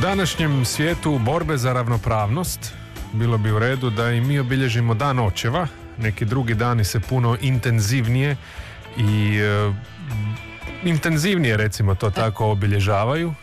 današnjem svijetu borbe za ravnopravnost bilo bi u redu da i mi obilježimo dan očeva. Neki drugi dani se puno intenzivnije i intenzivnije, recimo to tako, obilježavaju.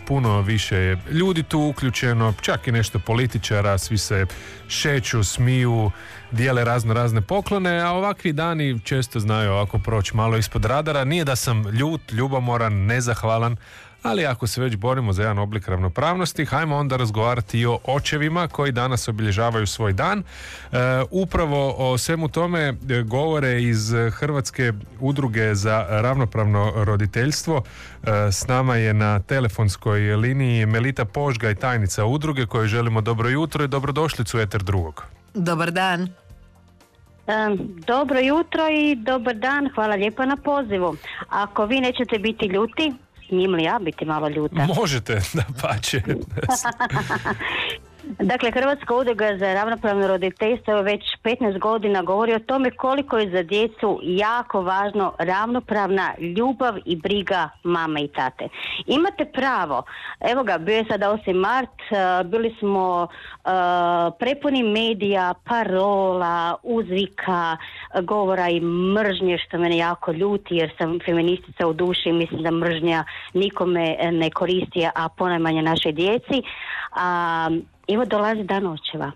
Puno više je ljudi tu uključeno, čak i nešto političara, svi se šeću, smiju, dijele razne poklone, a ovakvi dani često znaju ovako proći malo ispod radara. Nije da sam ljut, ljubomoran, nezahvalan, ali ako se već borimo za jedan oblik ravnopravnosti, hajmo onda razgovarati i o očevima koji danas obilježavaju svoj dan. Upravo o svemu tome govore iz Hrvatske udruge za ravnopravno roditeljstvo. S nama je na telefonskoj liniji Melita Požgaj, tajnica udruge, kojoj želimo dobro jutro i dobrodošlicu u Eter drugog. Dobar dan. Dobro jutro i dobar dan, hvala lijepo na pozivu. Ako vi nećete biti ljuti, smijem li ja biti malo ljuta? Možete, dapače. Dakle, Hrvatska udruga za ravnopravno roditeljstvo već 15 godina govori o tome koliko je za djecu jako važno ravnopravna ljubav i briga mame i tate. Imate pravo, evo ga, bio je sada 8. mart, bili smo prepuni medija, parola, uzvika, govora i mržnje, što mene jako ljuti jer sam feministica u duši i mislim da mržnja nikome ne koristi, a ponajmanje našoj djeci. Evo dolazi dan očeva.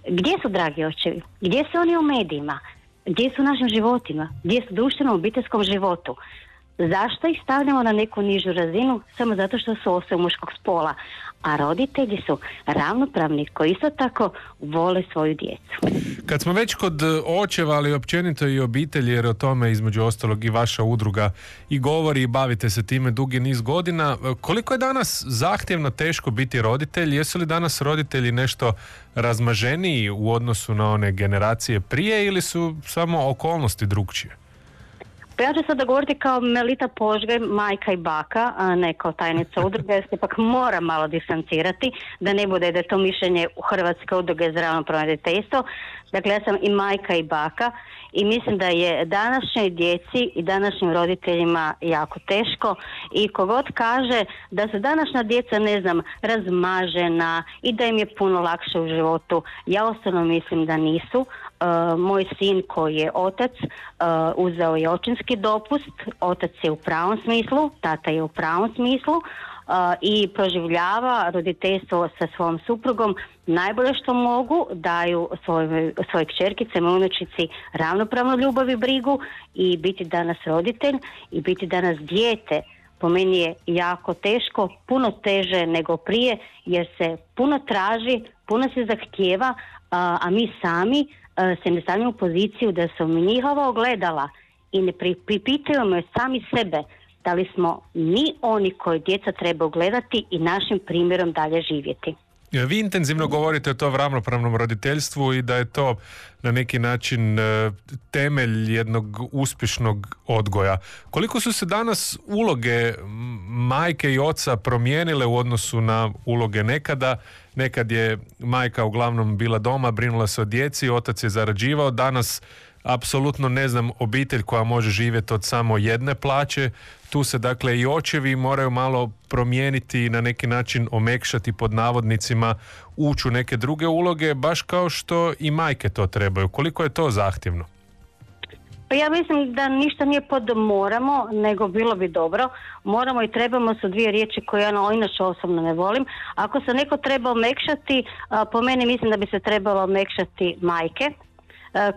Gdje su dragi očevi? Gdje su oni u medijima? Gdje su u našim životima? Gdje su u društvenom obiteljskom životu? Zašto ih stavljamo na neku nižu razinu? Samo zato što su osobe muškog spola. A roditelji su ravnopravni koji isto tako vole svoju djecu. Kad smo već kod očeva, ali općenito i obitelji, jer o tome između ostalog i vaša udruga i govori i bavite se time dugi niz godina, koliko je danas zahtjevno teško biti roditelj? Jesu li danas roditelji nešto razmaženiji u odnosu na one generacije prije ili su samo okolnosti drukčije? Pa ja ću sada govoriti kao Melita Požgaj, majka i baka, a ne kao tajnica udruge, jer se ipak mora malo distancirati, da ne bude da je to mišljenje u Hrvatske udruge za ravnopravno roditeljstvo. Dakle, ja sam i majka i baka i mislim da je današnjoj djeci i današnjim roditeljima jako teško i kogod kaže da su današnja djeca, ne znam, razmažena i da im je puno lakše u životu, ja osobno mislim da nisu. Moj sin koji je otac uzeo je očinski dopust, otac je u pravom smislu, tata je u pravom smislu i proživljava roditeljstvo sa svojom suprugom najbolje što mogu, daju svoje kćerkice, mojoj unučici ravnopravnu ljubav i brigu i biti danas roditelj i biti danas dijete. Po meni je jako teško, puno teže nego prije jer se puno traži, puno se zahtijeva, a mi sami se ne stavljamo u poziciju da su mi njihova ogledala i ne pripitujemo sami sebe da li smo mi oni koji djeca treba gledati i našim primjerom dalje živjeti. Vi intenzivno govorite o tom ravnopravnom roditeljstvu i da je to na neki način temelj jednog uspješnog odgoja. Koliko su se danas uloge majke i oca promijenile u odnosu na uloge nekada? Nekad je majka uglavnom bila doma, brinula se o djeci, otac je zarađivao. Danas apsolutno ne znam obitelj koja može živjeti od samo jedne plaće. Tu se dakle i očevi moraju malo promijeniti i na neki način omekšati pod navodnicima, ući u neke druge uloge, baš kao što i majke to trebaju. Koliko je to zahtjevno? Pa ja mislim da ništa nije pod moramo, nego bilo bi dobro. Moramo i trebamo su dvije riječi koje ja inače osobno ne volim. Ako se neko treba omekšati, po meni mislim da bi se trebalo omekšati majke,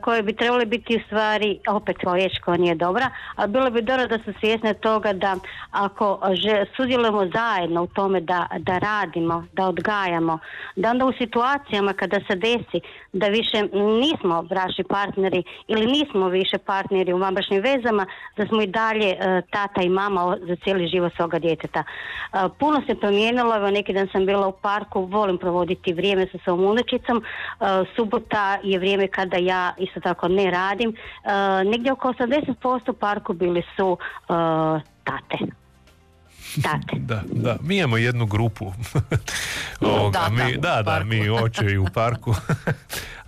koje bi trebali biti u stvari, opet riječ koja nije dobra, ali bilo bi dobro da su svjesne toga da ako sudjelujemo zajedno u tome da radimo, da odgajamo, da onda u situacijama kada se desi da više nismo bračni partneri ili nismo više partneri u vanbračnim vezama, da smo i dalje tata i mama za cijeli život svoga djeteta. Puno se promijenilo, evo neki dan sam bila u parku, volim provoditi vrijeme sa svojom unučicom, subota je vrijeme kada ja isto tako ne radim. Negdje oko 80% parku bili su tate. Da, mi imamo jednu grupu. Mi očevi u parku.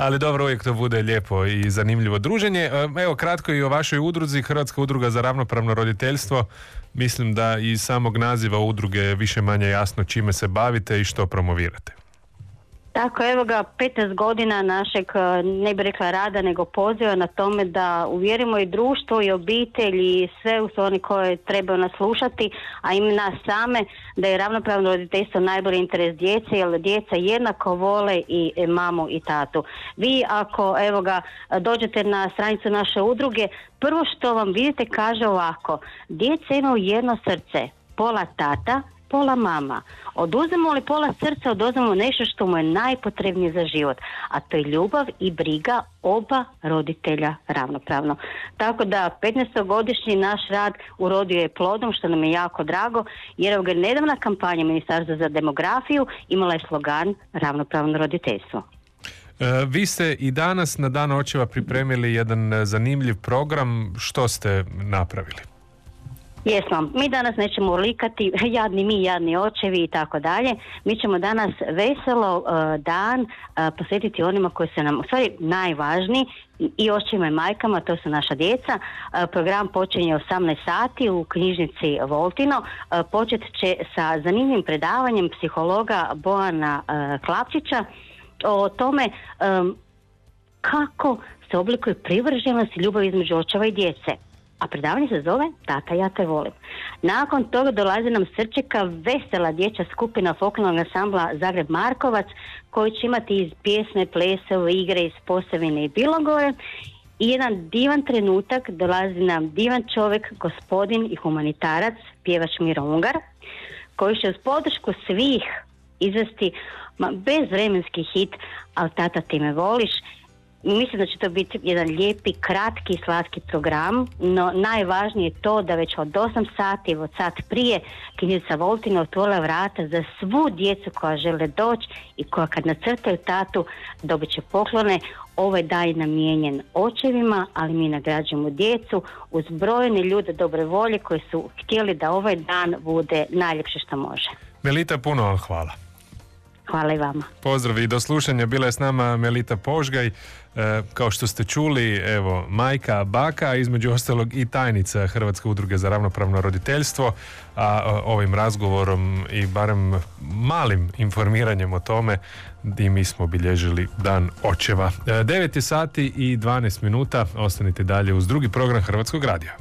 Ali dobro, uvijek to bude lijepo i zanimljivo druženje. Evo, kratko i o vašoj udruzi, Hrvatska udruga za ravnopravno roditeljstvo. Mislim da iz samog naziva udruge je više manje jasno čime se bavite i što promovirate. Tako, evo ga, 15 godina našeg, ne bih rekla rada, nego poziva na tome da uvjerimo i društvo i obitelj i sve oni koje trebaju nas slušati, a i nas same, da je ravnopravno roditeljstvo najbolji interes djece, jer djeca jednako vole i mamu i tatu. Vi ako, evo ga, dođete na stranicu naše udruge, prvo što vam vidite kaže ovako: djeca imaju jedno srce, pola tata, pola mama. Oduzmemo li pola srca, oduzmemo nešto što mu je najpotrebnije za život, a to je ljubav i briga oba roditelja ravnopravno. Tako da 15-godišnji naš rad urodio je plodom, što nam je jako drago, jer je nedavna kampanja Ministarstva za demografiju imala je slogan ravnopravno roditeljstvo. Vi ste i danas na Dan očeva pripremili jedan zanimljiv program. Što ste napravili? Jesmo, mi danas nećemo likati jadni mi, jadni očevi i tako dalje. Mi ćemo danas veselo dan posvetiti onima koji su nam u stvari najvažniji, i očevima i majkama, to su naša djeca. Program počinje 18 sati u knjižnici Voltino. Počet će sa zanimljivim predavanjem psihologa Bojana Klapčića o tome kako se oblikuje privrženost i ljubav između očeva i djece. A predavanje se zove Tata, ja te volim. Nakon toga dolazi nam Srčeka vesela dječja skupina folklornog ansambla Zagreb Markovac, koji će imati iz pjesme, plesove, igre iz Posavine i Bilogore. I jedan divan trenutak dolazi nam divan čovjek, gospodin i humanitarac, pjevač Miro Ungar, koji će uz podršku svih izvesti bezvremenski hit Al tata ti me voliš. Mislim da će to biti jedan lijepi, kratki, slatki program, no najvažnije je to da već od 8 sati, od sat prije, knjižnica Voltino otvorila vrata za svu djecu koja žele doći i koja kad nacrtaju tatu dobit će poklone. Ovaj dan je namijenjen očevima, ali mi nagrađujemo djecu uz brojne ljude dobre volje koji su htjeli da ovaj dan bude najljepše što može. Melita, puno vam hvala. Hvala i vama. Pozdrav i do slušanja. Bila je s nama Melita Požgaj, kao što ste čuli, evo, majka, baka, između ostalog i tajnica Hrvatske udruge za ravnopravno roditeljstvo, a ovim razgovorom i barem malim informiranjem o tome i mi smo obilježili Dan očeva. 9 je sati i 12 minuta, ostanite dalje uz drugi program Hrvatskog radija.